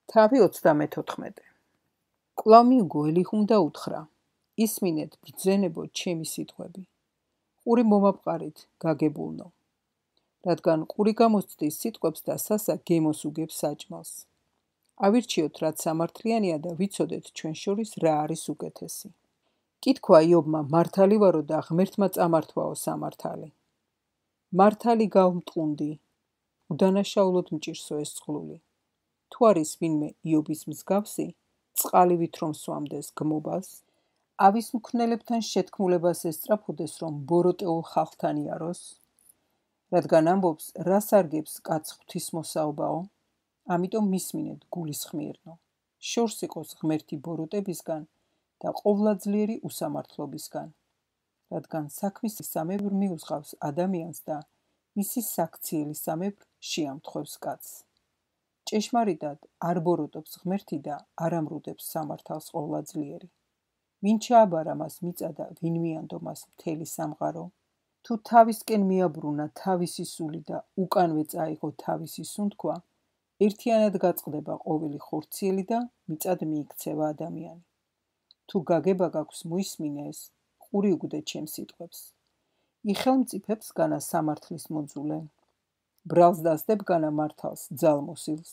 თავი 34. კვლავ მიუგო ელიხუმ და უთხრა: ისმინეთ ბრძენებო ჩემი სიტყვები. ყური მომაპყარით, გაგებულნო. რადგან ყური გამოსცდის სიტყვებს და სასა გემოს უგებს საჭმელს. ავირჩიოთ, რაც სამართლიანია და ვიცოდეთ ჩვენ შორის რა არის უკეთესი. კითხვა იობმა მართალი ვარო და ღმერთმა წამართვაო სამართალი. მართალი გავმტყუნდი, უდანაშაულოდ მჭირსო ეს წყლული. თუ არის ვინმე იობის მსგავსი, წყალივით რომ სვამდეს გმობას, ავის მქვნელებთან შეთქმულებას ესწრაფოდეს, რომ ბოროტეულ ხალხთან იაროს, რადგან ამბობს, რა სარგებს კაც ღვთისმოსაობაო, ამიტომ მისმინეთ გულისხმიერნო, შორს იყოს ღმერთი ბოროტებისგან და ყოვლადძლიერი უსამართლობისგან, რადგან საქმისამებრ მიუძღავს ადამიანს და მისი საქციელისამებრ შეამთხვევს კაცს. ჭეშმარიტად არ ბოროტობს ღმერთი და არ ამრუდებს სამართალს ყოვლადძლიერი. ვინ ჩააბარა მას მიწა და ვინ მიანდო მას მთელი სამყარო? თუ თავისკენ მიაბრუნა თავისი სული და უკანვე წაიღო თავისი სუნთქვა, ერთიანად გაწყდება ყოველი ხორციელი და მიწად მიიქცევა ადამიანი. თუ გაგება გაქვს მოისმინე ეს, ყური უგდე ჩემს სიტყვებს. იხელმწიფებს განა სამართლის მოძულე. ბრალს დასდებ განა მართალს ძალმოსილს.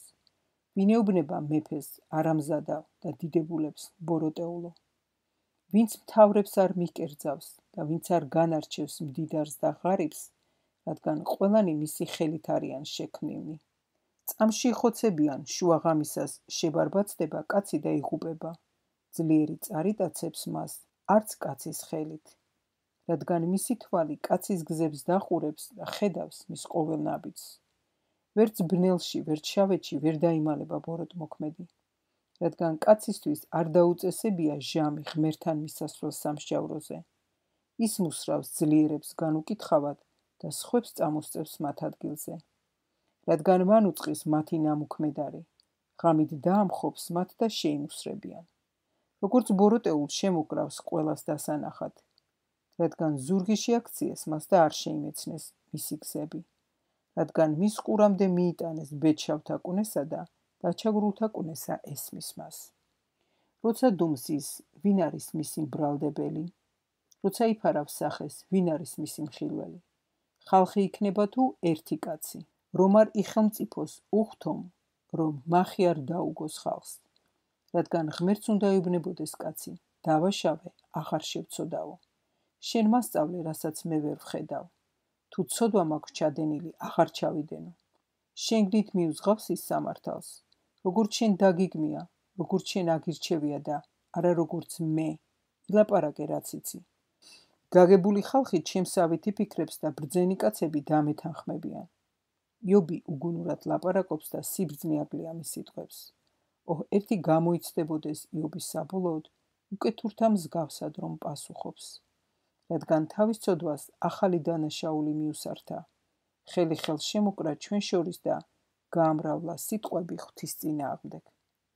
ვინეუბნება მეფეს არამზადა და დიდებულებს ბოროტეულო. ვინც მთავრებს არ მიკერძავს და ვინც არ განარჩევს მდიდარს და ღარიბს, რადგან ყველანი მისი ხელით არიან შექმნილნი. წამში იხოცებიან, შუაღამისას შებარბაცდება კაცი და იღუპება. ძლიერი წარიტაცებს მას არც კაცის ხელით. რადგან მისი თვალი კაცის გზებს დახურებს და ხედავს მის ყოველ ნაბიჯს. ვერც ბნელში, ვერც შავეთში ვერ დაიმალება ბოროტმოქმედი. რადგან კაცისთვის არ დაუწესებია ჟამი ღმერთთან მისასვლელს სამსჯავროზე. ის მუსრავს ძლიერებს განუკითხავად და სხვებს წამოსწევს მათ ადგილზე. რადგან მან უწყის მათი ნამუქმედარი, ღამით დაამხობს მათ და შეიმუსრებიან. როგორც ბოროტეულ შემოკრავს ყველას დასანახად. რადგან ზურგი შეაქციეს მას და არ შეიმეცნეს მისი გზები. რადგან მის ყურამდე მიიტანეს ბედშავთა კუნესა და დაჩაგრულთა კუნესა ესმის მას. როცა დუმზის, ვინ არის მისი მბრალდებელი? როცა იფარავს სახეს, ვინ არის მისი მხილველი? ხალხი იქნება თუ ერთი კაცი, რომ არ იხელმწიფოს უხთომ, რომ მახი არ დაუგოს ხალხს. რადგან ღმერთს უნდა ეუბნებოდეს კაცი, დავაშავე, აღარ შევცოდაო. შენ მასწავლე, რასაც მე ვერ ვხედავ. თუ ცოდვა მაქვს ჩადენილი, აღარ ჩავიდენო. შენგნით მიუძღავს ის სამართალს. როგორც შენ დაგიგმია, როგორც შენ აგირჩევია და არა როგორც მე, ილაპარაკე რაც იცი. გაგებული ხალხი ჩემსავით იფიქრებს და ბრძენი კაცები დამეთანხმებიან. იობი უგუნურად ლაპარაკობს და სიბრძნე აკლია მის სიტყვებს. ერთი გამოიცდებოდეს იობის საბოლოოდ, უკეთურთა მსგავსად რომ პასუხობს. რადგან თავის ცოდვას ახალი დანაშაული მიუსართა, ხელი ხელს შემოკრა ჩვენ შორის და გაამრავლა სიტყვები ღვთის წინააღმდეგ.